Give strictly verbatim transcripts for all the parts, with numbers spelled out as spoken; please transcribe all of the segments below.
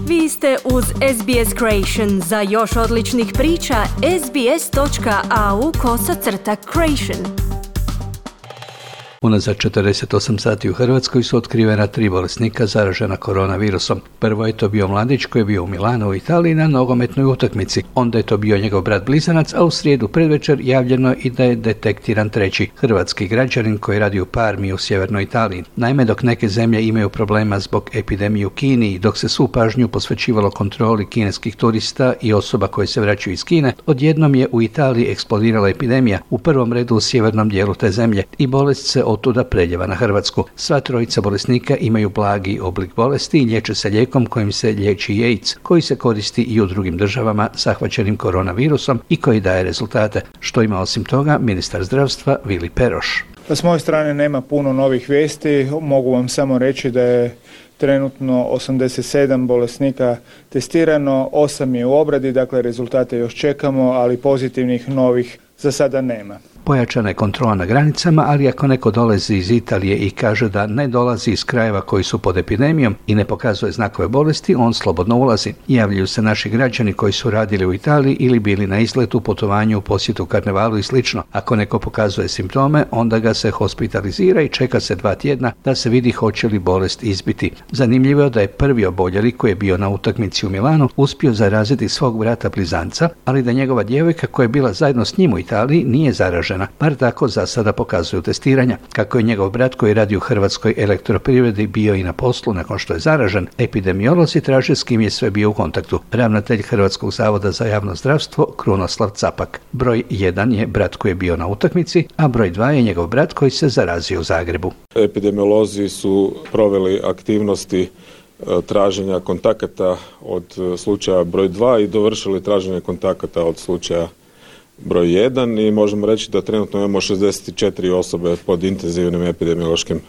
Vi ste uz S B S Creation. Za još odličnih priča, sbs.au kosacrta creation. Unazad četrdeset osam sati u Hrvatskoj su otkrivena tri bolesnika zaražena koronavirusom. Prvo je to bio mladić koji je bio u Milanu u Italiji na nogometnoj utakmici. Onda je to bio njegov brat blizanac, a u srijedu predvečer javljeno i da je detektiran treći hrvatski građanin koji radi u Parmi u sjevernoj Italiji. Naime, dok neke zemlje imaju problema zbog epidemije u Kini i dok se svu pažnju posvećivalo kontroli kineskih turista i osoba koje se vraćaju iz Kine, odjednom je u Italiji eksplodirala epidemija, u prvom redu u sjevernom dijelu te zemlje, i bolest se otuda preljeva na Hrvatsku. Sva trojica bolesnika imaju blagi oblik bolesti i liječe se lijekom kojim se liječi AIDS, koji se koristi i u drugim državama zahvaćenim koronavirusom i koji daje rezultate. Što ima osim toga ministar zdravstva Vili Peroš. S moje strane nema puno novih vijesti, mogu vam samo reći da je trenutno osamdeset sedam bolesnika testirano, osam je u obradi, dakle rezultate još čekamo, ali pozitivnih novih za sada nema. Pojačana je kontrola na granicama, ali ako neko dolazi iz Italije i kaže da ne dolazi iz krajeva koji su pod epidemijom i ne pokazuje znakove bolesti, on slobodno ulazi. Javljaju se naši građani koji su radili u Italiji ili bili na izletu, putovanju, posjetu karnevalu i slično. Ako neko pokazuje simptome, onda ga se hospitalizira i čeka se dva tjedna da se vidi hoće li bolest izbiti. Zanimljivo je da je prvi oboljeli koji je bio na utakmici u Milanu uspio zaraziti svog brata blizanca, ali da njegova djevojka koja je bila zajedno s njim u Italiji nije zaražena. Bar tako za sada pokazuju testiranja. Kako je njegov brat koji radi u Hrvatskoj elektroprivredi bio i na poslu nakon što je zaražen, epidemiolozi traže s kim je sve bio u kontaktu. Ravnatelj Hrvatskog zavoda za javno zdravstvo Krunoslav Capak. Broj jedan je brat koji je bio na utakmici, a broj dva je njegov brat koji se zarazio u Zagrebu. Epidemiolozi su proveli aktivnosti traženja kontakata od slučaja broj dva i dovršili traženje kontakata od slučaja broj jedan i možemo reći da trenutno imamo šezdeset četiri osobe pod intenzivnim epidemiološkim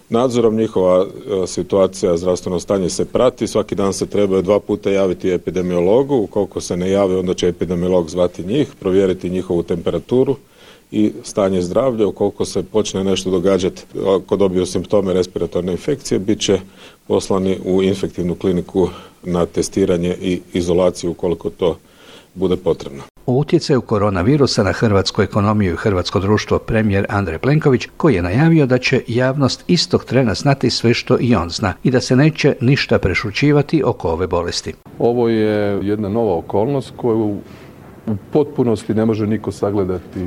nadzorom. Njihova situacija, zdravstveno stanje se prati, svaki dan se trebaju dva puta javiti epidemiologu, ukoliko se ne javi onda će epidemiolog zvati njih, provjeriti njihovu temperaturu i stanje zdravlja. Ukoliko se počne nešto događati, ako dobiju simptome respiratorne infekcije, bit će poslani u infektivnu kliniku na testiranje i izolaciju ukoliko to bude potrebno. O utjecaju koronavirusa na hrvatsku ekonomiju i hrvatsko društvo premijer Andrej Plenković, koji je najavio da će javnost istog trena znati sve što i on zna i da se neće ništa prešućivati oko ove bolesti. Ovo je jedna nova okolnost koju u potpunosti ne može niko sagledati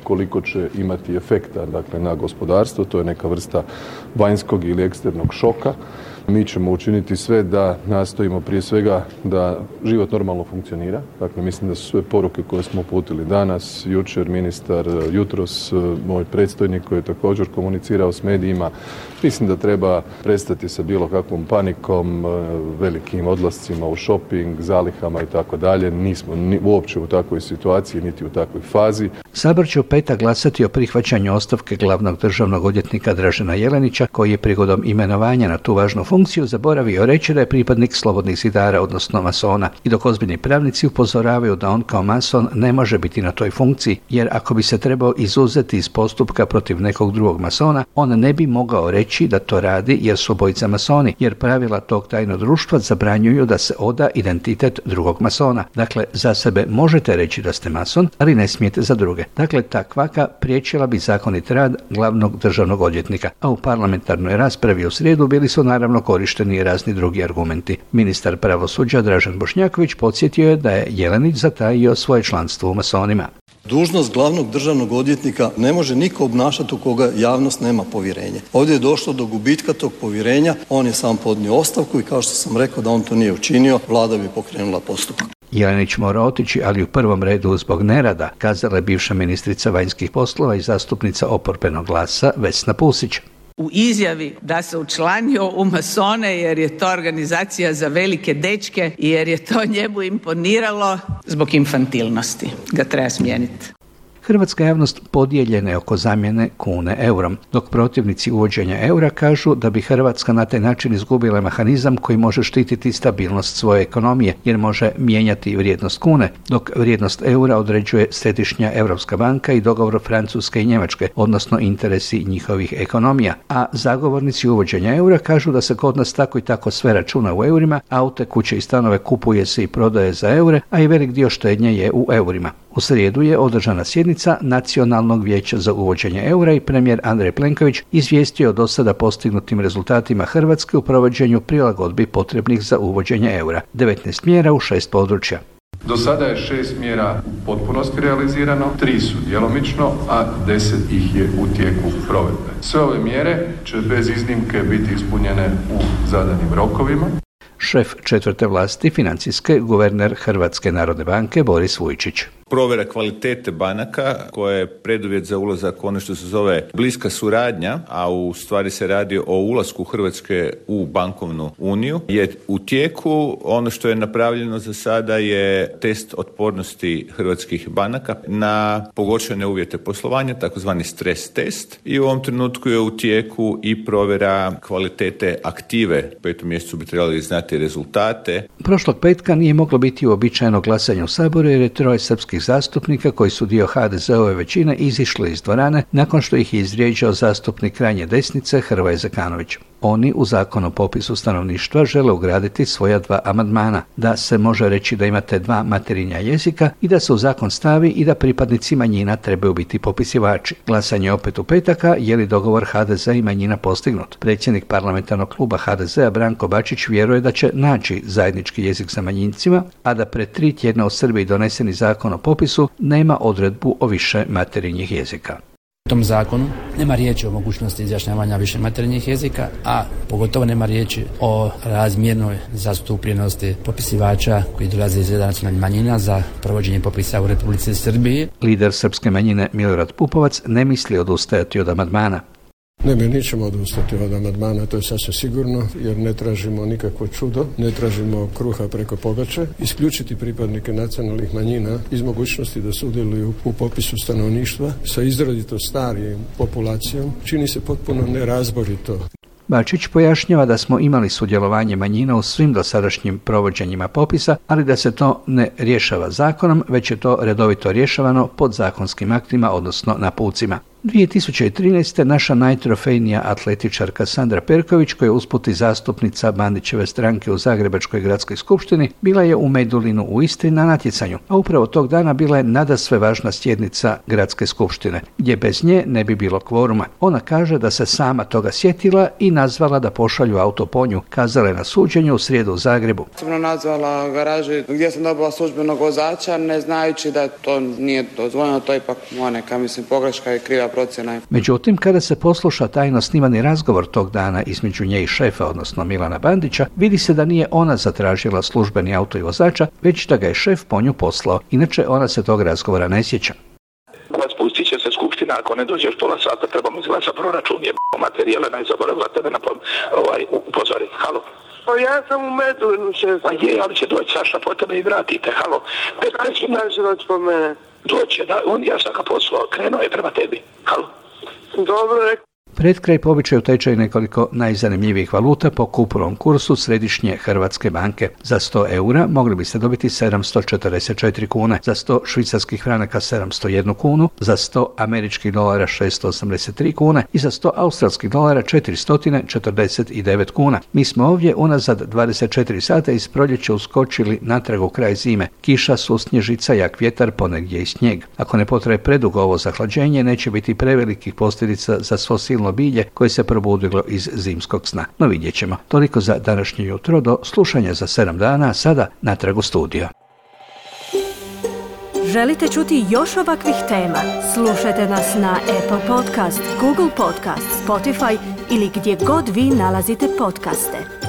koliko će imati efekta, dakle, na gospodarstvo. To je neka vrsta vanjskog ili eksternog šoka. Mi ćemo učiniti sve da nastojimo prije svega da život normalno funkcionira. Dakle, mislim da su sve poruke koje smo uputili danas, jučer ministar, jutros moj predstojnik koji je također komunicirao s medijima. Mislim da treba prestati sa bilo kakvom panikom, velikim odlascima u shopping, zalihama i tako dalje. Nismo ni uopće u takvoj situaciji, niti u takvoj fazi. Sabor će u petak glasati o prihvaćanju ostavke glavnog državnog odvjetnika Dražena Jelenića, koji je prigodom imenovanja na tu važnu funkciju zaboravio reći da je pripadnik slobodnih zidara, odnosno masona. I dok ozbiljni pravnici upozoravaju da on kao mason ne može biti na toj funkciji, jer ako bi se trebao izuzeti iz postupka protiv nekog drugog masona, on ne bi mogao reći da to radi jer su obojica masoni, jer pravila tog tajnog društva zabranjuju da se oda identitet drugog masona. Dakle, za sebe možete reći da ste mason, ali ne smijete za druge. Dakle, ta kvaka priječila bi zakonit rad glavnog državnog odvjetnika, a u parlamentarnoj raspravi u srijedu bili su naravno korišteni razni drugi argumenti. Ministar pravosuđa Dražen Bošnjaković podsjetio je da je Jelenić zatajio svoje članstvo u masonima. Dužnost glavnog državnog odvjetnika ne može niko obnašati u koga javnost nema povjerenje. Ovdje je došlo do gubitka tog povjerenja, on je sam podnio ostavku i kao što sam rekao da on to nije učinio, vlada bi pokrenula postupak. Jelenić mora otići, ali u prvom redu zbog nerada, kazala je bivša ministrica vanjskih poslova i zastupnica oporbenog Glasa Vesna Pusić. U izjavi da se učlanio u masone jer je to organizacija za velike dečke i jer je to njemu imponiralo, zbog infantilnosti ga treba smijeniti. hrvatska javnost podijeljena je oko zamjene kune eurom, dok protivnici uvođenja eura kažu da bi Hrvatska na taj način izgubila mehanizam koji može štititi stabilnost svoje ekonomije, jer može mijenjati vrijednost kune, dok vrijednost eura određuje Središnja Europska banka i dogovor Francuske i Njemačke, odnosno interesi njihovih ekonomija. A zagovornici uvođenja eura kažu da se kod nas tako i tako sve računa u eurima, aute, kuće i stanove kupuje se i prodaje za eure, a i velik dio štednje je u eurima. U srijedu je održana sjednica Nacionalnog vijeća za uvođenje eura i premijer Andrej Plenković izvijestio o do sada postignutim rezultatima Hrvatske u provođenju prilagodbi potrebnih za uvođenje eura. devetnaest mjera u šest područja. Do sada je šest mjera u potpunosti realizirano, tri su djelomično, a deset ih je u tijeku provedbe. Sve ove mjere će bez iznimke biti ispunjene u zadanim rokovima. Šef četvrte vlasti financijske, guverner Hrvatske narodne banke Boris Vujčić. Provjera kvalitete banaka, koja je preduvjet za ulazak u ono što se zove bliska suradnja, a u stvari se radi o ulasku Hrvatske u bankovnu uniju, je u tijeku. Ono što je napravljeno za sada je test otpornosti hrvatskih banaka na pogoršane uvjete poslovanja, takozvani stres test, i u ovom trenutku je u tijeku i provjera kvalitete aktive. U petom mjesecu bi trebali znati rezultate. Prošlog petka nije moglo biti uobičajeno glasanje u Saboru jer je troje srpskih zastupnika koji su dio ha de ze ove većine izišli iz dvorane nakon što ih je izvrijeđao zastupnik krajnje desnice Hrvoje Zekanović. Oni u Zakon o popisu stanovništva žele ugraditi svoja dva amandmana, da se može reći da imate dva materinja jezika i da se u zakon stavi i da pripadnici manjina trebaju biti popisivači. Glasanje opet u petaka, je li dogovor ha de ze i manjina postignut. Predsjednik parlamentarnog kluba ha de zea Branko Bačić vjeruje da će naći zajednički jezik sa manjincima, a da pred tri tjedna u Srbiji doneseni zakon o popisu nema odredbu o više materinjih jezika. U tom zakonu nema riječi o mogućnosti izjašnjavanja više materinjih jezika, a pogotovo nema riječi o razmjernoj zastupljenosti popisivača koji dolaze iz reda nacionalnih manjina za provođenje popisa u Republici Srbiji. Lider srpske manjine Milorad Pupovac ne misli odustajati od amandmana. Ne, mi nećemo odustati od amandmana, to je sasvim sigurno, jer ne tražimo nikakvo čudo, ne tražimo kruha preko pogače. Isključiti pripadnike nacionalnih manjina iz mogućnosti da sudjeluju u popisu stanovništva sa izrazito starijom populacijom čini se potpuno nerazborito. Bačić pojašnjava da smo imali sudjelovanje manjina u svim dosadašnjim provođenjima popisa, ali da se to ne rješava zakonom, već je to redovito rješavano podzakonskim aktima, odnosno napucima. dvije tisuće trinaeste. naša najtrofejnija atletičarka Sandra Perković, koja je usput i zastupnica Bandićeve stranke u Zagrebačkoj gradskoj skupštini, bila je u Medulinu u Istri na natjecanju, a upravo tog dana bila je nadasve važna sjednica gradske skupštine, gdje bez nje ne bi bilo kvoruma. Ona kaže da se sama toga sjetila i nazvala da pošalju auto po nju, kazala je na suđenju u srijedu u Zagrebu. Sam nazvala garaži gdje sam dobila službenog vozača, ne znajući da to nije dozvoljeno, to je ipak moja neka, mislim, pogreška i kriva procjena. Međutim, kada se posluša tajno snimani razgovor tog dana između nje i šefa, odnosno Milana Bandića, vidi se da nije ona zatražila službeni auto i vozača, već da ga je šef po nju poslao. Inače, ona se tog razgovora ne sjeća. Raspustit će se skupština, ako ne dođeš pola sata, trebamo izglasati proračun, je materijale, najzaboravila tebe na ovaj, upozoriti. Halo. Pa ja sam u Medulinu, šef. Pa je, ali će doći Saša po tebe i vratite. Halo. petnaest minuta će doći po mene. Doće, da, on, ja sam ga poslao, krenuo je prema tebi. Halo. Dobro, rekao. Pred kraj po običaju tečaj nekoliko najzanimljivijih valuta po kupovnom kursu Središnje Hrvatske banke. Za sto eura mogli biste dobiti sedamsto četrdeset četiri kune, za sto švicarskih franaka sedamsto jednu kunu, za sto američkih dolara šesto osamdeset tri kune i za sto australskih dolara četiristo četrdeset devet kuna. Mi smo ovdje unazad dvadeset četiri sata iz proljeća uskočili natrag u kraj zime. Kiša, susnježica, jak vjetar, ponegdje i snijeg. Ako ne potraje predugo ovo zahlađenje, neće biti prevelikih posljedica za svo silno bilje koje se probudilo iz zimskog sna. No vidjet ćemo. Toliko za današnje jutro, do slušanja za sedam dana, sada natrag u studio. Želite čuti još ovakvih tema? Slušajte nas na Apple Podcast, Google Podcast, Spotify ili gdje god vi nalazite podcaste.